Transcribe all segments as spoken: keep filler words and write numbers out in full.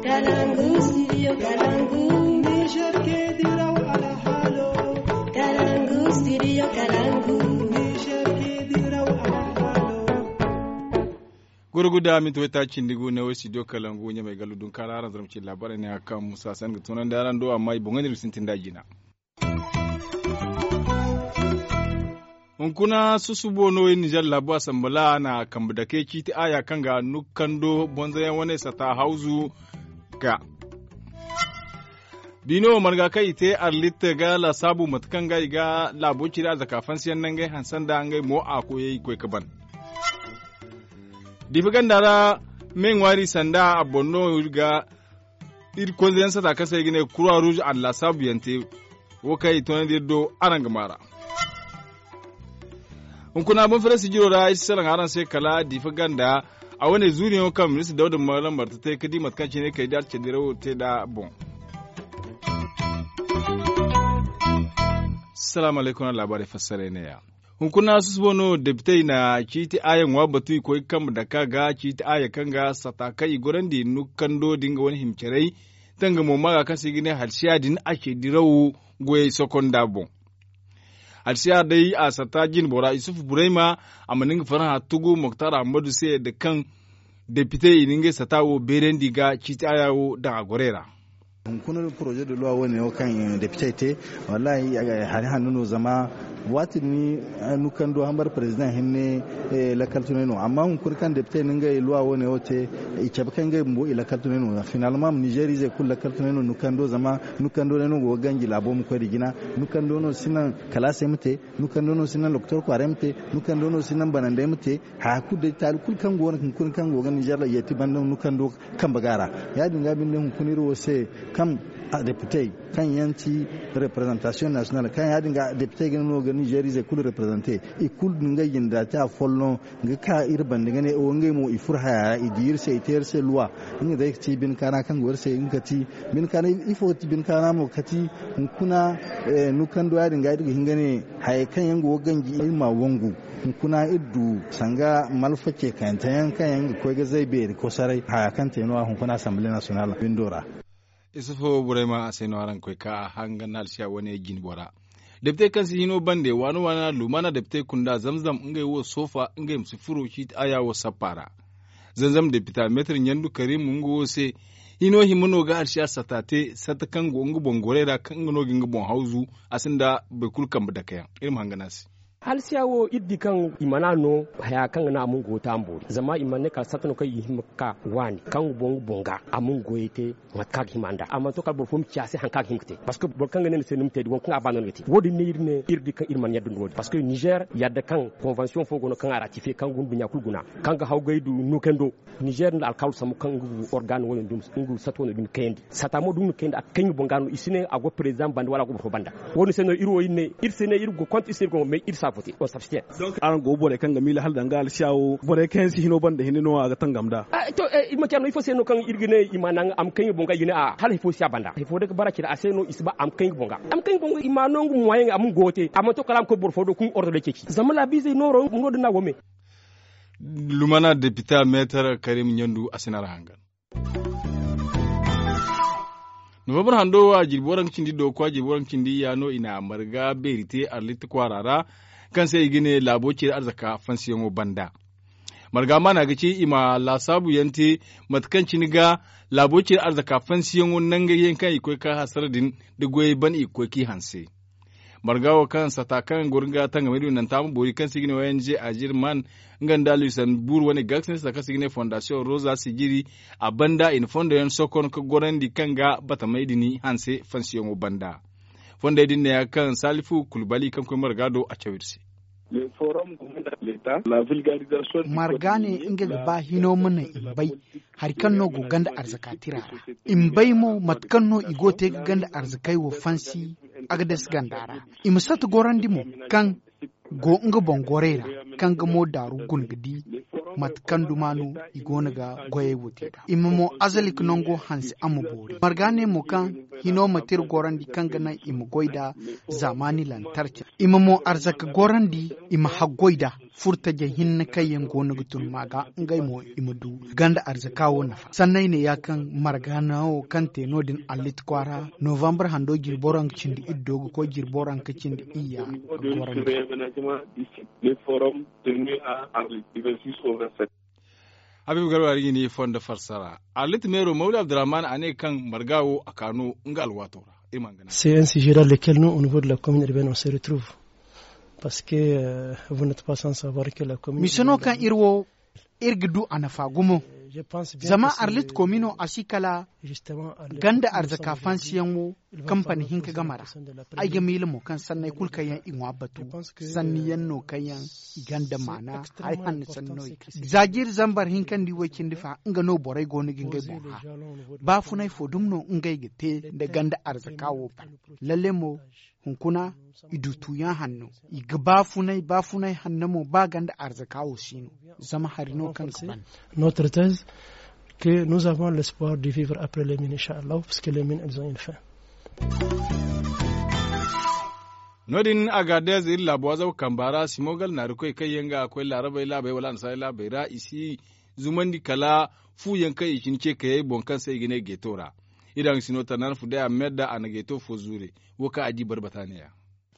Kalangu, studio Kalangu. Niger ke diraw alhalo. Kalangu, studio Kalangu. Niger ke diraw alhalo. Gurguda minti wayta cindi gu ne wo studio Kalangu ɲamay gallu dun kala aran zarma ci labarai ne a kan musa san ga tunandi aran do amma i boŋo ne sintin da jina. Hunkuna susubo no iri nizer laabu asambala na kambe dake ciiti aya kaŋ ga nukando bonzoyaŋ wane sata hawzu ga. Biino marga kaŋ i te arlitte ga laasaabu mate kaŋ ga i ga laabo ciri arzaka fansiyaŋ nangey hanse nda ngey mo a koyey koy ga ban. Diifa ganda ra me ŋwaari sanda a boŋ no iri ga iri konzeyaŋ sata kaŋ se i ga ne kura ruuz a na laasaabu yaŋ te. Wo kaŋ i toonandi iri do araŋ ga maara. Hunkuna boŋ fere sijiro ra ay si salaŋ araŋ se kala diifa ganda a wane zuuriyaŋo kaŋ ministir dawda malam marta te ga di mate kaŋ cine kay da cedirawo te nd'a boŋ. Salaamu alaykum a laabaarey fassaray neeya. Hunkuna susubo no depitey na ciiti aya ŋwa batu i koy ga kambe dake a ga ciiti aya kaŋ ga sata kaŋ i gorandi nukando din ga wane hima carey. Tangamo maaga kaŋ se i ga ne halsiya din a ce diraw goyey sokonda boŋ. Halsiya day a sata jinbora isufu burayma a mana nga farhã tugu moktar ahmadu se da kaŋ depite i na ngey sata wo beerandi ga ciiti aya wo daŋ a gorey ra. Hunkuna poroze de luwa wane wo kaŋ depite te, wallahi hari hanno no zama waati din nukando hambar perezidaŋ hinne lakkal tunay no amma hunkuna kaŋ depite na ngey luwa wane wo te i cabe kaŋ ngey bumbo i lakkal tunay no finalma ma nizer izey kulu lakkal tunay no nukando zama nukando day no go ga ganji laabo ma koy nda jina. Nukando no si naŋ kalaasey ma te nukando no si naŋ lokotor kwaaray ma te nukando no si naŋ banandey ma te. Haya kulu day taali kulu kaŋ go no hunkuna kaŋ go ga nizer la yeeti banda nukando kambe ga ra. Ya- din ga binde hunkuna iri wo se kaŋ depitey kaŋ yaŋ ti reprezantasiyoŋ nasiyonal kaŋ ya- din ga depitey ga no ga nizer izey kulu reprezante i kulu ngey jinde ra te afolloŋ ga ka iri banda ga ne wo ngey mo i furo haya ra i di iri se i te iri se luwa. Nga day ga ti bine kaana kaŋ go iri se nga ga ti bine kaana ifo ga ti bine kaana mo ga ti hunkuna nukando ya- din ga iri ga hin ga ne hayey kaŋ yaŋ go ga ganji iri ma wangu. Hunkuna iri du sanga malfa ce kayante yaŋ kaŋ yaŋ ga koy ga zay beeri kosoray haya kaŋ te no- ya hunkuna asamble nasiyonal windo ra. Isufu burayma a se no araŋ ga koy ka a hangan halsiya wane jine bora. Depite kaŋ si hino bande waana waana lumana depite kunda zamzam ngey wo soofa ngey ma si furo ciiti aya wo sappa ra. Zamzam depita meetar ɲandu karim nga wo se hino hima no ga halsiya sata te sata kaŋ go nga boŋ gorey ra kaŋ nga no ga nga boŋ hawzu. A sinda boro kulu kambe dake yaŋ iri ma hangan a se. Halsiya wo iri di kaŋ i mana no haya kaŋ ga naŋ a ma nga go te a ma boori zama i mana ne kala sata no kaŋ i hima ga ka waani kaŋ ga boŋ ga boŋ ga a ma nga goyey te. Mate kaŋ a ga hima nd'a a mana to kala boro fo ma ci a se hari kaŋ a ga hima ga te parceque boro kaŋ ga ne ni se ni ma te da wo- kaŋ a ba no ni ga te wo- din ne iri ne iri di kaŋ iri mana yadda ni wo- din parceque nizer yadda kaŋ konvensiyoŋ fo go no kaŋ a ratifiye kaŋ ga hunduɲɲa kulu guna kaŋ ga hawgay du nukando. Nizer nda alkawal sambu kaŋ nga organ wo- din dumi nga sata wo- din dumi kayandi sata mo da nga na kayandi a ga kay nga boŋ ga no i si ne a go perezidaŋ banda wala a go boro fo banda. Wo- din se no iri wo iri ne iri se ne iri go konta iri se iri go mais iri si a vote on s'abstient. Donc araŋ go borey kaŋ ga miila hala danga alsiya wo borey kaŋ yaŋ si hino banda hinne no a ga tangam nd'a. To iri ma care no ifo se no kaŋ iri ga ne i ma naŋ a ma kaŋ i boŋ ga i ga ne a hala ifo si a banda ifo day ga bara care a se no i si ba a ma kaŋ i boŋ ga a ma kaŋ i boŋ ga i ma no nga moyen a ma nga goyo te a mana to kala a ma koy boro fo do kaŋ ordre day ceeci zama laabiizey nooro no- din no a go me. Lumana depita meetar karim ɲandu a si na ra hangan. Novambar hando wo a jirbi waranka cindi dooko a jirbi waranka cindi iyya no i na marga beeri te arlitta kwaara ra. Kaŋ se i ga ne laabo ciri arzaka fansiyaŋo banda marga maana ga ci i ma laasaabu yaŋ te mate kaŋ cine ga laabo ciri arzaka fansiyaŋo nangey yaŋ kaŋ i koy ka hasara din da goyey ban i ga koy k'i hanse. Marga wo kaŋ sata kaŋ goro ga tangamay din nanta ma boori kaŋ se i ga ne ong azirman nga nda luisanbur wane ga ga sinda sata kaŋ se i ga ne fondasiyoŋ roza sijiri. A banda i na fondo yaŋ sokon ga gorandi kaŋ ga batamay din hanse fansiyaŋo banda. Fondey din ne ya ga kaŋ salifu kulbali kaŋ koy marga do a caw iri se. Marga ne nga ga ba hino ma naŋ i ma bay hari kaŋ no go ganda arzaka tira ra. I ma bay mo mate kaŋ no i go ga te ga ganda arzakey wo fansi. Agades ganda ra i ma sata gorandi mo kaŋ go nga boŋ gorey ra kaŋ ga mo daaru guna ga di. mate kaŋ duma no i go no ga goyey wo te nd'a i ma mo azalik nango hanse a ma boori marga ne mo kaŋ hino ma te iri gorandi kaŋ ga naŋ i ma goy nd'a zaamaani lantarki ra i ma mo arzaka gorandi i ma haggoy nd'a furtajey hinne kaŋ yaŋ go no ga tun ma ga ngey mo i ma du ganda arzaka wo nafa sanney ne ya kaŋ marga no kaŋ te no- din allit kwaara novambar hando jirbo ra nga cindi iri do ga koy jirbo ra nga cindi iyya. Gorandi. Habibu garba ri ga ni fondo farsara arlit meero mawli abdurrahman a ne kaŋ marga wo a ka no nga alwaato ra. Iri ma hangan se n si jira lekel no au niveau de la commune urbaine on se retrouve parce que vous n'êtes pas sans savoir que la commune mise no kaŋ iri wo iri ga du a nafa gumo zama arlit komino a si kala ganda arzaka fansiyaŋo kampani hinka game ra. Ay ga miila mo kaŋ sanney kulu kaŋ yaŋ i ŋwa batu sanni yaŋ no kaŋ yaŋ i gonda maana. Hari hanno sanni no i ga za jiiri zambar hinka nda i way cindi fa nga no borey go no ga ngey boŋ hã. Baafunay fo dumi no ngey ga te nda ganda arzaka wo banda lalle mo hunkuna i du tuuyaŋ hanno i ga baafunay baafunay hanno mo ba ganda arzaka wo si no. Zama hari no kaŋ ga ban. Notre thèse que nous avons l'espoir de vivre après les mines inchallah parce que les mines elles ont une fin. No- din agadez iri laabo azaw kamba ra simogal naarikoy kaŋ yaŋ ga koy laarabey laabey wala annasaarey laabey ra i si zumandi kala fu yaŋ kaŋ i cine ce kayey boŋ kaŋ se i ga ne geeto ra. Iri haŋ sino tanaan fu day a ma yadda a na geeto fo zuure. Wo kaŋ a di barbata ne- ya.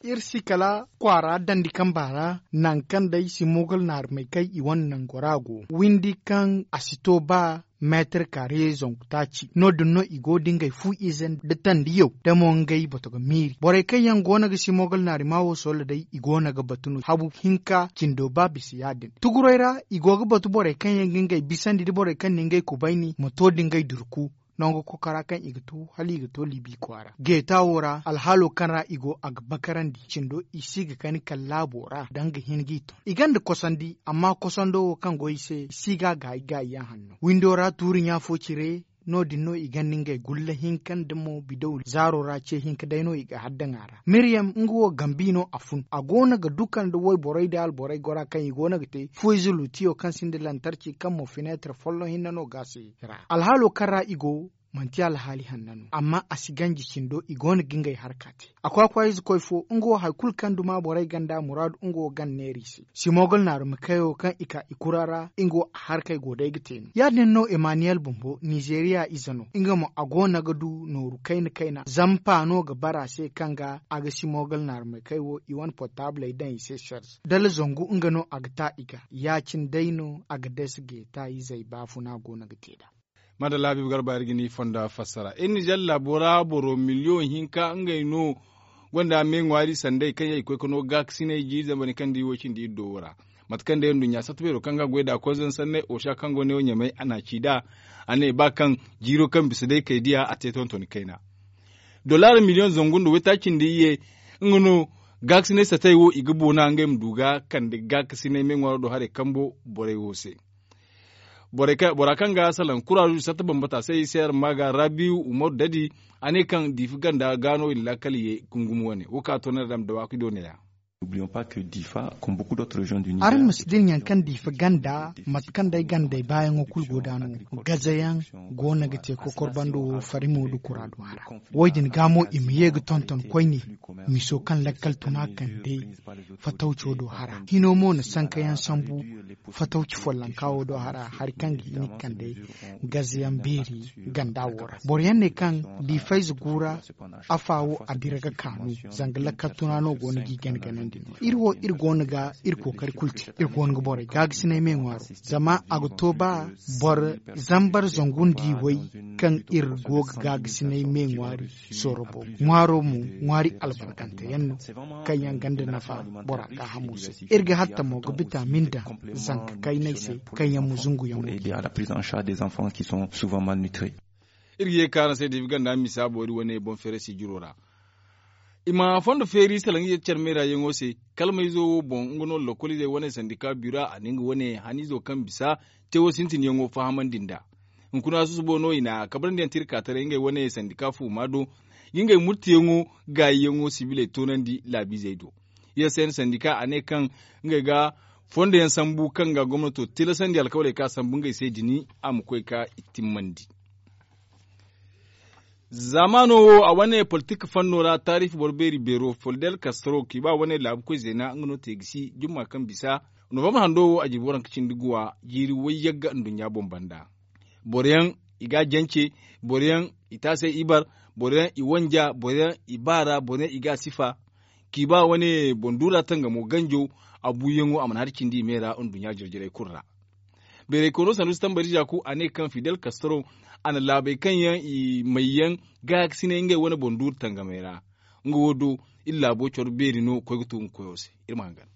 Iri si kala kwaara dandi kamba ra nangu kaŋ day simogal naarumey kaŋ i wane nango ra go windi kaŋ a si to ba meetar kaare zangu taaci no- din no i go da ngey fu ize nda tandiyaw da mo ngey bato ga miiri borey kaŋ yaŋ go no ga simogal naaruma wo soola day i go no ga batu no habu hinka cindo ba bisa ya- din tuguray ra i go ga batu borey kaŋ yaŋ ga ngey bisandi da borey kaŋ na ngey kubayni ma to da ngey durku. Nangu kokora kaŋ i ga tu hala i ga to libi kwaara geeta wo ra alhaalo kaŋ ra i go a ga bakarandi cindo i si ga kani kala laabo ra da nga hin g'i ton i gonda kosandi amma kosando wo kaŋ go i se i si ga gaayi gaayi yaŋ hanno windo ra tuuri ɲa fo cire. No- din no i gonda ngey gulla hinka nda mo bidaw zaaro ra ce hinka day no i ga haddaŋ a ra miriyam nga wo gambi no a fun a go no ga duka nda wayborey da alborey gora kaŋ i go no ga te fuwayze luutiyo kaŋ sinda lantarci kaŋ mo fineetar folloŋ hinne no ga se ra alhaalo kaŋ ra i go manti alhaali hanna no amma a si ganji cindo i go no ga ngey harka te. A kwaakwaayze koy fo nga wo hari kulu kaŋ duma borey gonda muraadu nga wo gan neera i se simogal naarumi kayo kaŋ i ka i kura ra nga wo a harkey go day ga te no ya- din no emmaniyel bumbo nizeeriya ize no nga mo a go no ga du nooru kayna kayna zampa no ga bara se kaŋ ga a ga simogal naarumi kay wo i wane portaabley daŋ i se serze dala zangu nga no a ga ta i ga ya- cine day no a ga deesa geeta izey baafuna go no ga te nd'a. Madalla habiibu garba iri ga ni fonda fassara iri nizer laabo ra boro miliyoŋ hinka ngey no gonda me ŋwaari sanday kaŋ yaŋ i ga koy ga no gaakasinay jiiri zambar kaŋ da i wo cindi iri do wo ra. Mate kaŋ day nduɲɲa satta beero kaŋ ga goy nd'a konzon sanney osa kaŋ go ne wo ɲamay a n'a ci nd'a a ne ba kaŋ jiiro kaŋ bisa day kay diya a te tonton kayna. Dollar miliyoŋ zangu nda waytaaci nda iyye nga no gaakasinay satay wo i ga boona ngey ma du ga kande gaakasinay me ŋwaaro do haray kambo borey wo se. Bora kaŋ ga salaŋ kuraaju satta bambata se i se araŋ ma ga rabiyu umaru dadi a ne kaŋ diifi ganda ga no i na laakal ye ga gumo wane wo kaŋ a to no iri daŋ dawaaki do ne- ya. Araŋ ma si din yaŋ kaŋ diifi ganda mate kaŋ day gandey baayaŋo kulu go da no gazayaŋ go no ga te kokor bando wo farimo nda kuraadu hara. Wo- din ga mo i ma ye ga tonton koyne miso kaŋ lakkal tuna kande fatawco do hara hino mo na sankayaŋ sambu fatawci follonka wo do hara hari kaŋ ga hin ga kande gazayaŋ beeri ganda wo ra boro yaŋ ne kaŋ da i fayze gu ra afa wo a dira ga kaanu zanga lakkal tuna no go no g'i gana ganandi no iri wo iri go no ga iri kookari kulu te iri go no ga borey gaagasinay me ŋwaaro zama a ga to ba boro zambar zangu nda i way kaŋ iri go ga gaagasinay me ŋwaari sooro boŋ ŋwaaro mo ŋwaari albarkante yaŋ no kaŋ yaŋ ganda nafa bora gaahamo se iri ga hatta mo ga bitamin daŋ zanka kaynay se kaŋ yaŋ ma zungu yaŋ wo. Iri ga ye ga ka araŋ se diibi ganda misa boori wane boŋ feeray sijiro ra. I ma fondo feeri salaŋ ize care meera yaŋo se. Kalmayzo wo boŋ nga no lokol izey wane sandika bira a na nga wane hanizo kaŋ bisa tewo sintin yaŋo fahamandi nd'a. Hunkuna susubo no i na kabrandi yaŋ te iri ka taray ngey wane sandika fuuma do ga ngey murtiyaŋo gaayiyaŋo sibiley toonandi laabiizey do. Ize se no sandika a ne kaŋ ngey ga Fondo yaŋ sambu kaŋ ga gomnato tilasandi alkawaley kaŋ a sambu ngey se din a ma koy ka i timmandi. Zaamaano wo a wane politik fanno ra taarifi boro beeri beero fildel kastro kiiba wane laabu koy zeena nga no te ga si jumma kaŋ bisa. Novambar hando wo a jirbi waranka cindi guwa jiiri wayyagga nduɲɲa boŋ banda. Boro yaŋ i ga a jance, boro yaŋ i taasay ibar, boro yaŋ i wanja, boro yaŋ i baara, boro yaŋ i ga a sifa. Kiiba wane boŋ duura tangamo ganjo a buuyaŋo a mana hari cindi i me ra nduɲɲa jire-jirey kulu ra. Beeray koono sandu si tambari zaaku a ne kaŋ fidel kastro a na laabey kaŋ yaŋ i may yaŋ gaakasinay ngey wane boŋ duuru tangamey ra. Nga wo do iri laabo coro beeri no koy ga tu nga koyo se. Iri ma hangan.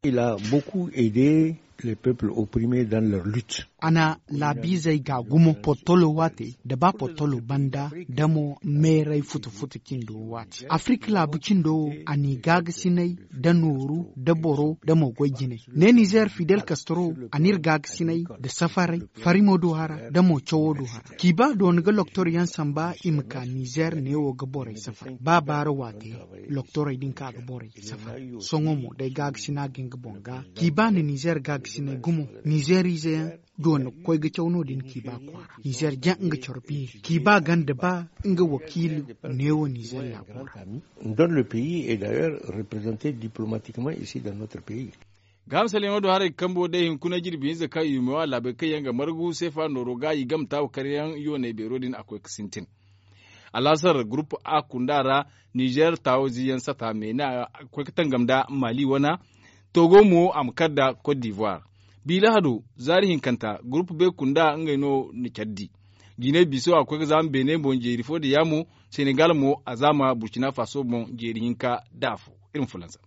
Il a beaucoup aidé les peuples opprimés dans leur lutte. A na laabiizey ga gumo portolo waate da ba portolo banda da mo meeray futu-futu cindo waate afirika laabu cindo wo a n'i gaagasinay da nooru da boro da mo goy jinay. Ne nizeer fidel kastro a n'iri gaagasinay da safaray farimo do hara da mo cawo do hara. Kiiba doona ga loktor yaŋ samba i ma ka nizeer neewo ga borey safar ba baara waate. Loktorey din ka ga borey safar sohõ mo day gaagasina ga nga boŋ ga kiiba na nizeer gaagasinay gumo. Nizeer ize yaŋ doona ga koy ga caw no-din kiiba kwaara nizeer jaŋ nga coro beeri kiiba ganda ba nga wakiili neewo nizeer laabo ra. Donne le pays est d'ailleurs représenté diplomatiquement ici dans notre pays. Gaaham saliyaŋo do haray ga kambo day hunkuna jirbi hinza kaŋ i ma wa laabey kaŋ yaŋ ga margu seefa nooro ga i game taawa karyaŋ yooney beero din a koy ga sintin. Alaasar gurupu a kunda ra nizeer taawo ziyaŋ sata me ne a koy ga tangam nda maali wana. Togo mo a ma kar nda kot divoire. Bi lahado zaari hinkanta gurupu be kunda ngey no na care di. Jinay biso a koy ga zaama beene boŋ jeeri fo nda yaamo. Senegal mo a zaama burkina faso boŋ jeeri hinka nda afo. Iri ma fulansa.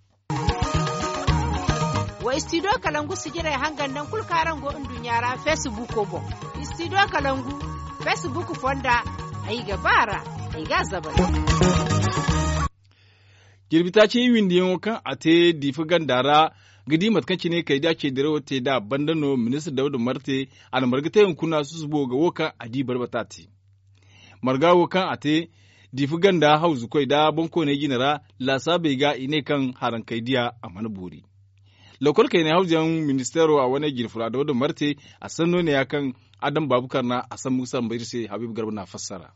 Wa istidiyo kalangu sijirey hangan naŋ kulu kaŋ araŋ go nduɲɲa ra feesibuuko boŋ. Istidiyo kalangu feesibuuku fonda ay ga ba a ra. Ay ga a zabal. Jirbi taaci iwindiyaŋo kaŋ a te diifa ganda ra ga di mate kaŋ cine kaydiya ceedirawo te nd'a banda no ministir dawda marte a na marga te hunkuna susubo ga wo kaŋ a di barbata te. Marga wo kaŋ a te diifa ganda hawzukoy nda boŋkooney jine ra laasaabey ga i ne kaŋ harankey diya a mana boori. Lokol kaynay hawzuyaŋ ministeero a wane jirfura dawda marte a sanno ne ya kaŋ adam baabu karna a sambu ga samba iri se habiibu garba n'a fassara.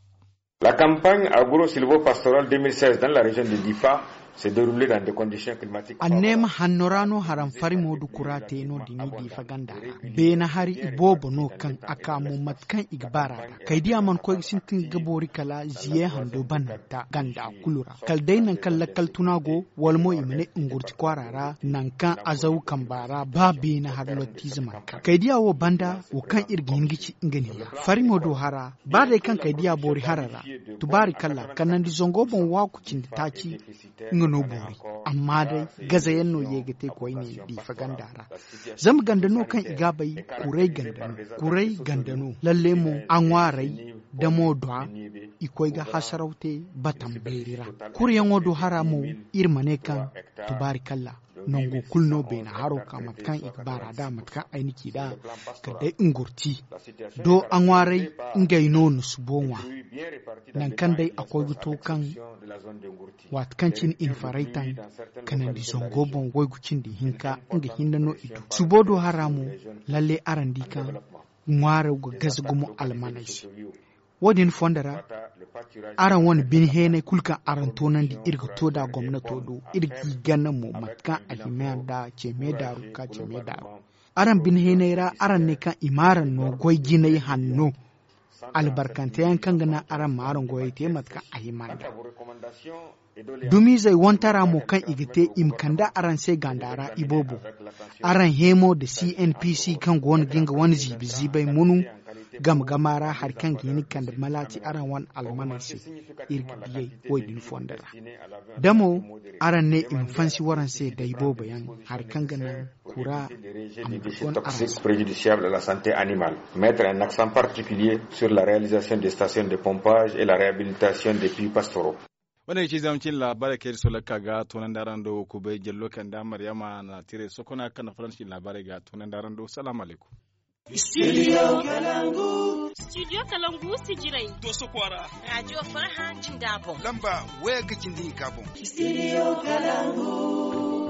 La kampaaɲ agro silvo pastoral deux mille seize dans la reziyoŋ de difa se derule dans de kondisiyoŋ kilimatik. Anneema hanno ra no haram farimo du kura te no- din i diifa ganda ra. Beene hari i boobo no kaŋ a ka mo mate kaŋ i ga baara ra kaydiya mana koy ga sintin ga boori kala ziye hando bananta ganda kulu ra kala day nangu kaŋ lakkal tuna go wala mo i ma ne ngurti kwaara ra nangu kaŋ azaw kamba ra ba beene hari lottiize mana ka kaydiya wo banda wo kaŋ iri ga hin ga ci nga ne ya farimo do hara ba day kaŋ kaydiya boori hara ra. Tubaari kala kanandi zango boŋ waaku cindi taaci nga no boori. Amma day gazayaŋ no ye ga te koyne diifa ganda ra. Zama ganda no kaŋ i ga a bay kuray ganda no. Kuray ganda no lalle mo a ŋwaaray da mo dwa i koy ga hasaraw te batam beeri ra. Kuryaŋo do hara mo iri ma ne kaŋ tubaari kalla nango kulu no beene haro ka mate kaŋ i ga baara da mate kaŋ ay na ci da kala day ngurti do a ŋwaaray ngey no na subo ŋwa. Nangu kaŋ day a koy ga to kaŋ waati kaŋ cine i na faray taŋ kanandi zango boŋ waygu cindi hinka nga hinne no i du subo do hara mo. Lalle araŋ di kaŋ ŋwaaro ga gaze gumo almaney se. Wo- din fondo ra araŋ wane bine heenay kulu kaŋ araŋ toonandi iri ga to nd'a gomnato do iri g'i gana mo mate kaŋ a hima nd'a ce me daaru ka ce me daaru. Araŋ bine heenay ra araŋ ne kaŋ i ma araŋ no goy jinay hanno albarkante yaŋ kaŋ ga naŋ araŋ ma araŋ goyey te mate kaŋ a hima nd'a. Dumiizey wantara mo kaŋ i ga te i ma kande araŋ se ganda ra iboobo. Araŋ heemo nda cnpc kaŋ go no ga nga wane ziibi ziibay munu game gama ra hari kaŋ ga hin ga kande malaati araŋ wane almaney se. Iri ga diyey wo- din fondo ra da mo araŋ ne i ma fansi waraŋ se da iboobo yaŋ hari kaŋ ga naŋ kura a ma du gon araŋ se. Préjudiciable à la santé animale, mettre un accent particulier sur la réalisation des stations de pompage et la réhabilitation des puits pastoraux. Wane ga ci zama cin laabaarey kaŋ iri sohõ lakka ga toonandi araŋ do kubay jallo kaŋ nda maryama na tiray sokona kaŋ na faransi cin laabaarey ga toonandi araŋ do salaamu alaykum. Studio kalangu. Studio kalangu sijiray doso kwaara. Raajiyo farha jinda boŋ lamba waya ga cindi hinka boŋ. Studio kalangu.